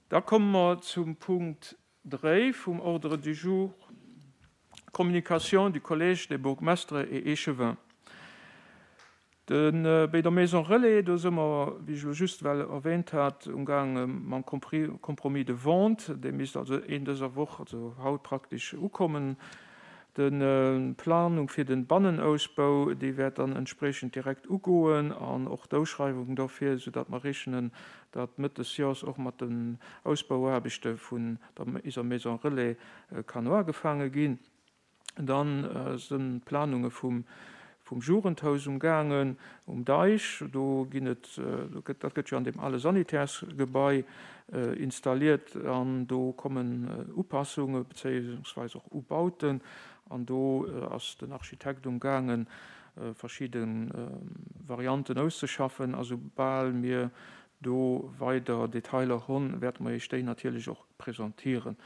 Da komme mer zum Punkt 3 vum Ordre du jour, Communication du Collège des bourgmestres et échevins. De bei der Maison Relais, do si mer, wéi ech elo just well erwähnt hat, umgaange mam Compromis de vente. Dee misst also een dëser Woch, also haut praktesch, ukommen. D'Planung fir de Bannenausbau, déi wäert dann entspriechend direkt ugoen an och d'Auschreiwung dofir, soudatt mer rechnen, datt Mëtt des Jors och mat den Ausbauaarbechte vun der iser Maison Relais kann uagefaange ginn. Dann sënn d'Planunge vum Jugendhaus um gaangen um Deich. Do ginn et, do gëtt, dat gëtt jo an deem ale Sanitärsgebai installiert an do kommen Upassunge bezéiungsweis och Ubauten an do ass den Architekt um gaangen verschidde Varianten auszeschaffen a soubal mir do weider Detailer honn, wäerte mer Iech déi natierlech och presentieren.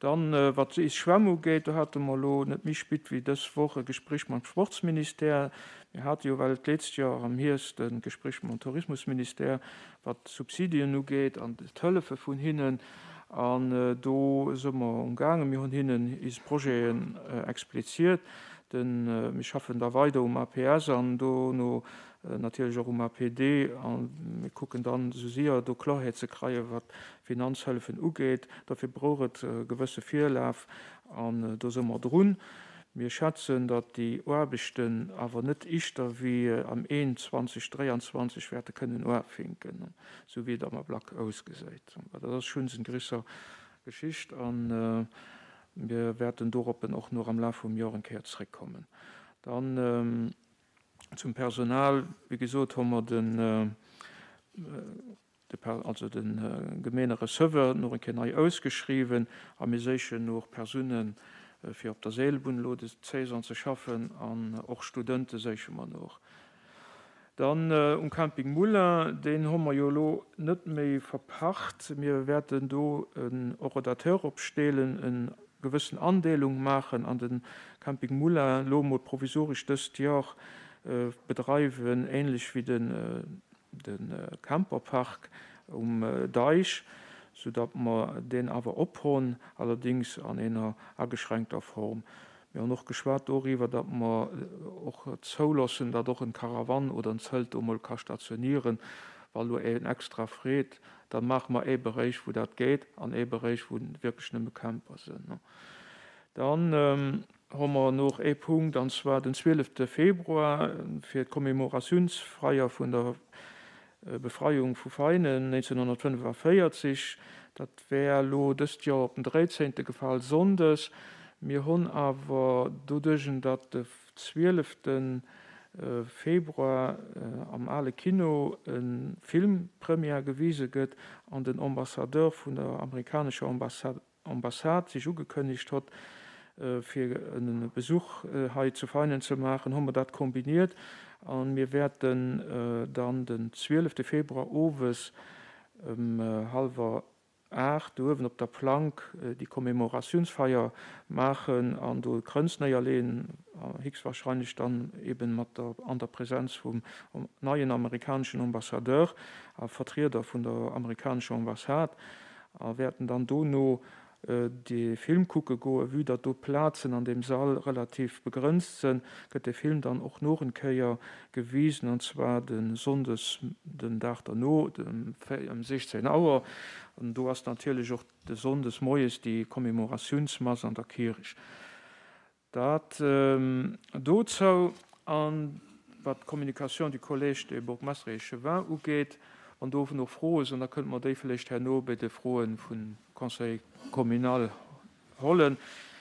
Dann, wat is Schwämm ugeet, do hate mer elo net méi spit wéi dës Woch e Gespréich mam Sportsministère. Mir hate jo well d'letzт Joer am Hierscht e Gespréich mam Tourismusministère, wat d'Subsidien ugeet an d'Hëllefe vun hinnen. An do si mer umgaangen. Mir hunn hinnen is Projeten expliziert. Mir schaffen da weider um APS an dono natierlech och um APD a mir kucken dann esou séier do Klorheet ze kreien, wat d'Finanzhëllefen ugeet. Dofir brauch et e gewësse Virlaf an do si mer drun. Mir schätzen, datt déi Aarbechten awer net ischter wéi am Een 2023 wäerte kënnen uafinken, esou wéi et am Ablack ausgesäit. Dat ass schonns eng grisser Geschicht a mir wäerten doroppen och nach am Laf vum Joer eng Kéier zréckkommen. Dann Zum Personal, wéi gesot, hu mer den, also de Gemeenereceveur nach eng Kéier nei ausgeschriwwen a mir séichen och Persoune fir op der Seelbunn elo des Saison ze schaffen an och Studente séiche mer nach. Dann um Camping Moulin, deen hu mer jo elo net méi verpacht. Mir wäerten do en Horodateur opsteelen, en gewëssen Andeelung maachen an de Camping Moulin elo emol provisoresch dëst Jor bedreiwen, ähnlech wéi de Camperpark um Deich, soudatt mer deen awer ophonn, allerdings an eener ageschränkter Form. Mir hunn och geschwat doriwwer, datt mer och zouloossen, datt och en Caravan oder en Zelt do emol ka stationieren, wa lo een extra freet. Da maache mer ee Beréich, wou dat geet, an ee Beréich, wou wierklech nëmme Camper sinn. Dann hu mer nach ee Punkt, an zwar den 12 Februar fir d'Commemoratiounsfeier vun der Befreiung vu Veinen 1945. Dat wär elo dëst Joer op den 13. gefall, sonndes. Mir hunn awer doduerch, datt de 12. Februar am Ale Kino e Filmpremière gewise gëtt an den Ambassadeur vun der amerikanescher Ambassade sech ugekënnegt hott, fir e Besuch hei zu Veinen ze maachen, hu mer dat kombiniert a mir wäerten dann den 12. Februar owes ëm hallwer 8 uewen op der Plank déi Commemoratiounsfeier maachen an do e Krënz néierleeën, héchstwahrscheinlech dann eben mat der an der Präsenz vum neien amerikaneschen Ambassadeur a Vertrieder vun der amerikanescher Ambassade a wäerten dann dono de Film kucke goen. Vue datt do d'Plazen an deem Sall relativ begrënzt sënn, gëtt de Film dann och noch en Kéier gewisen, an zwar de Sonndes den Dag derno ëm 16 Auer. An do ass natierlech och de Sonndes moies déi Commemoratiounsmass an der Kierch. Dat dozou. A wat d'Communication du Collège des bourgmestres et échevins ugeet, wann do nach Froe sinn, da kënnte mer déi vläicht herno bei de Froe vum Conseil communal hollen.